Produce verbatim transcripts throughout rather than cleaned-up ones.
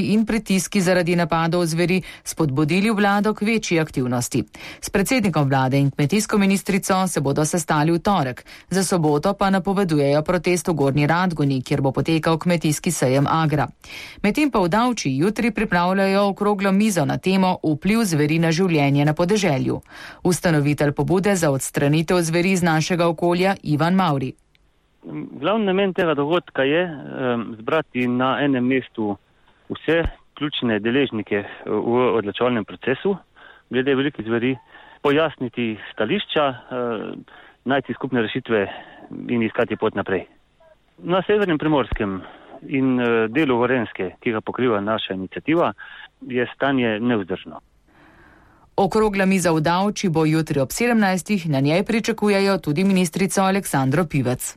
in pritiski zaradi napadov zveri spodbudili vlado k večji aktivnosti. S predsednikom vlade in kmetijsko ministrico se bodo sestali v torek. Za soboto pa napovedujejo protest v Gornji Radgoni, kjer bo potekal kmetijski sejem Agra. Medtem pa v Davči jutri pripravljajo okroglo mizo na temo vpliv zveri na življenje na podeželju. Ustanovitelj pobude za odstranitev zveri iz našega okolja Ivan Mavri. Glavni namen tega dogodka je um, zbrati na enem mestu vse ključne deležnike v odločevalnem procesu, glede velikih zveri, pojasniti stališča, uh, najti skupne rešitve in iskati pot naprej. Na severnem Primorskem in uh, delu Gorenjske, ki ga pokriva naša iniciativa, je stanje nevzdržno. Okrogla miza v Davči bo jutri ob sedemnajstih, na njej pričakujejo tudi ministrico Aleksandro Pivec.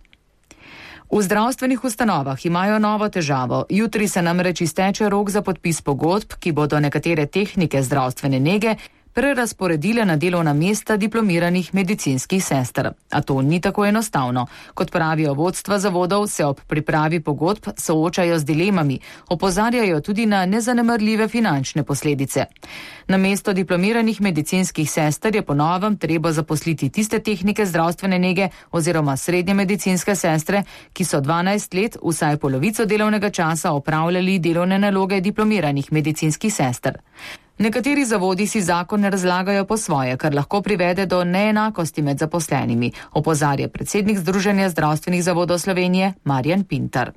V zdravstvenih ustanovah imajo novo težavo. Jutri se namreč izteče rok za podpis pogodb, ki bodo nekatere tehnike zdravstvene nege prerazporedile na delovna mesta diplomiranih medicinskih sester. A to ni tako enostavno. Kot pravijo vodstva zavodov, se ob pripravi pogodb soočajo z dilemami, opozarjajo tudi na nezanemarljive finančne posledice. Namesto diplomiranih medicinskih sester je po novem treba zaposliti tiste tehnike zdravstvene nege oziroma srednje medicinske sestre, ki so dvanajst let, vsaj polovico delovnega časa opravljali delovne naloge diplomiranih medicinskih sester. Nekateri zavodi si zakon razlagajo po svoje, kar lahko privede do neenakosti med zaposlenimi, opozarja predsednik Združenja zdravstvenih zavodov Slovenije Marjan Pintar.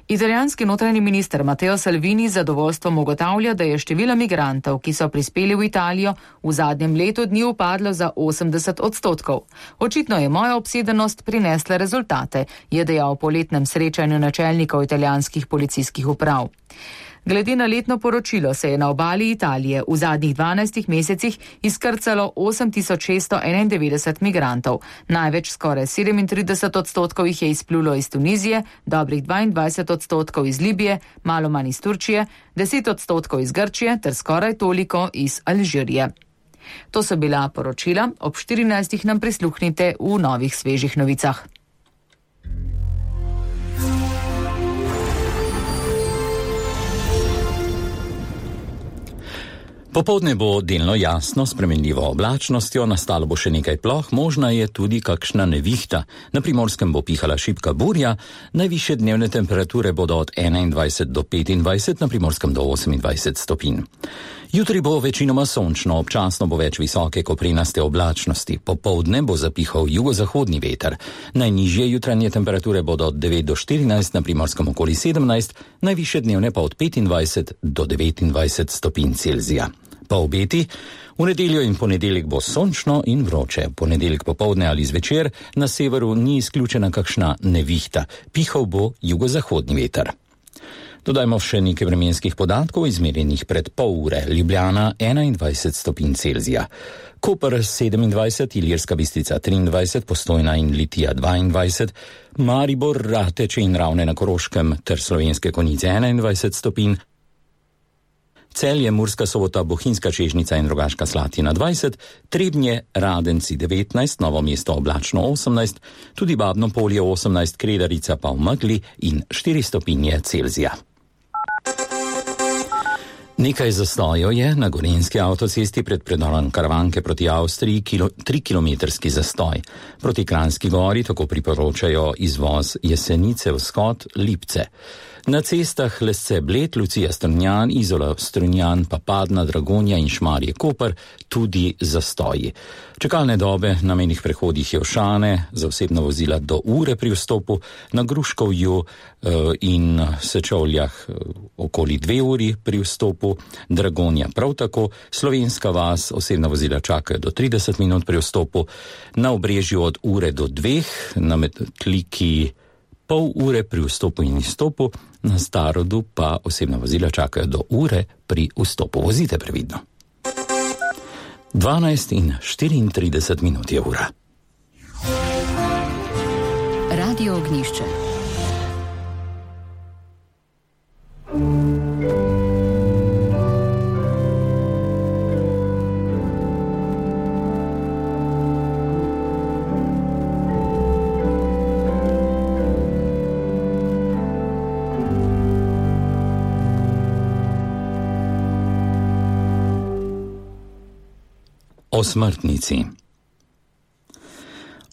Italijanski notranji minister Matteo Salvini z zadovoljstvom ugotavlja, da je število migrantov, ki so prispeli v Italijo, v zadnjem letu dni upadlo za osemdeset odstotkov. Očitno je moja obsedenost prinesla rezultate, je dejal po letnem srečanju načelnikov italijanskih policijskih uprav. Glede na letno poročilo se je na obali Italije v zadnjih dvanajstih mesecih izkrcalo osem tisoč šeststo enaindevetdeset migrantov. Največ, skoraj sedemintrideset odstotkov jih je izplulo iz Tunizije, dobrih dvaindvajset odstotkov iz Libije, malo manj iz Turčije, deset odstotkov iz Grčije ter skoraj toliko iz Alžirije. To so bila poročila, ob štirinajstih nam prisluhnite v novih svežih novicah. Popoldne bo delno jasno, spremenljivo oblačnostjo, nastalo bo še nekaj ploh, možna je tudi kakšna nevihta. Na Primorskem bo pihala šibka burja, najvišje dnevne temperature bodo od enaindvajset do petindvajset, na Primorskem do osemindvajset stopinj. Jutri bo večinoma sončno, občasno bo več visoke koprenaste oblačnosti. Popoldne bo zapihal jugozahodni veter. Najnižje jutranje temperature bodo od devet do štirinajst, na Primorskem okoli sedemnajst, najvišje dnevne pa od petindvajset do devetindvajset stopinj Celzija. Pa obeti, v nedeljo in ponedeljek bo sončno in vroče. Ponedeljek popoldne ali zvečer na severu ni izključena kakšna nevihta. Pihal bo jugozahodni veter. Dodajmo še nekaj vremenskih podatkov, izmerjenih pred pol ure. Ljubljana enaindvajset stopinj Celzija. Koper sedemindvajset, Ilirska Bistrica triindvajset, Postojna in Litija dvaindvajset, Maribor, Rateče in Ravne na Koroškem ter Slovenske Konjice enaindvajset stopinj, Celje, Murska Sobota, Bohinjska Čežnica in Rogaška Slatina dvajset, Trebnje, Radenci devetnajst, Novo mesto oblačno osemnajst, tudi Babno Polje osemnajst, Kredarica pa v megli in štiri stopinje Celzija. Nekaj zastojev je na Gorenjski avtocesti pred predorom Karavanke proti Avstriji, kilo, trikilometrski zastoj. Proti Kranjski gori tako priporočajo izvoz Jesenice, Vzhod, Lipce. Na cestah Lesce Bled, Lucija Strunjan, Izola Strunjan, Papadna, Dragonja in Šmarje Koper tudi zastoji. Čakalne dobe na mejnih prehodih Jevšane za osebna vozila do ure pri vstopu, na Gruškovju in Sečovljah okoli dve uri pri vstopu, Dragonja prav tako, Slovenska vas osebna vozila čakajo do trideset minut pri vstopu, na Obrežju od ure do dveh, na Metliki pol ure pri vstopu in izstopu, na Starodu pa osebna vozila čakajo do ure pri vstopu. Vozite previdno. dvanajst in štiriintrideset minut je ura. Radio Ognjišče. O smrtnici.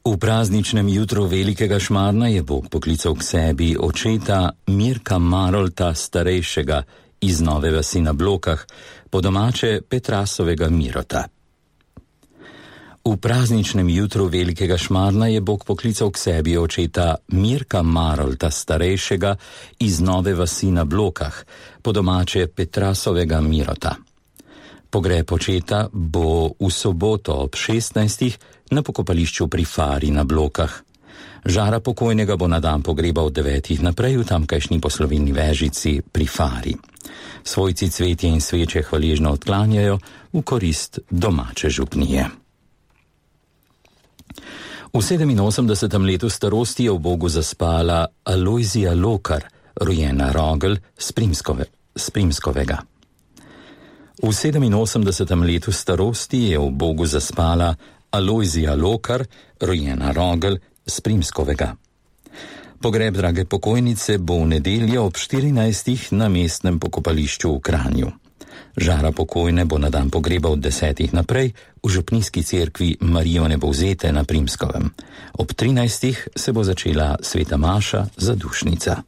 V prazničnem jutru velikega Šmarna je Bog poklical k sebi očeta Mirka Marolta starejšega iz Nove vasi na Blokah, po domače Petrasovega Mirota. V prazničnem jutru velikega Šmarna je Bog poklical k sebi očeta Mirka Marolta starejšega iz Nove vasi na Blokah, po domače Petrasovega Mirota. Pogreb očeta bo v soboto ob šestnajstih na pokopališču pri Fari na Blokah. Žara pokojnega bo na dan pogreba od devetih naprej v tamkajšnji poslovilni vežici pri Fari. Svojci cvetje in sveče hvaležno odklanjajo v korist domače župnije. V sedeminosemdesetem letu starosti je v Bogu zaspala Alojzija Lokar, rojena Rogl z Primskove, z Primskovega. V sedeminosemdesetem letu starosti je v Bogu zaspala Alojzija Lokar, rojena Rogl z Primskovega. Pogreb drage pokojnice bo v nedeljo ob štirinajstih na mestnem pokopališču v Kranju. Žara pokojne bo na dan pogreba od desetih naprej v župnijski cerkvi Marijo Nebovzete na Primskovem. Ob trinajstih se bo začela sveta maša zadušnica.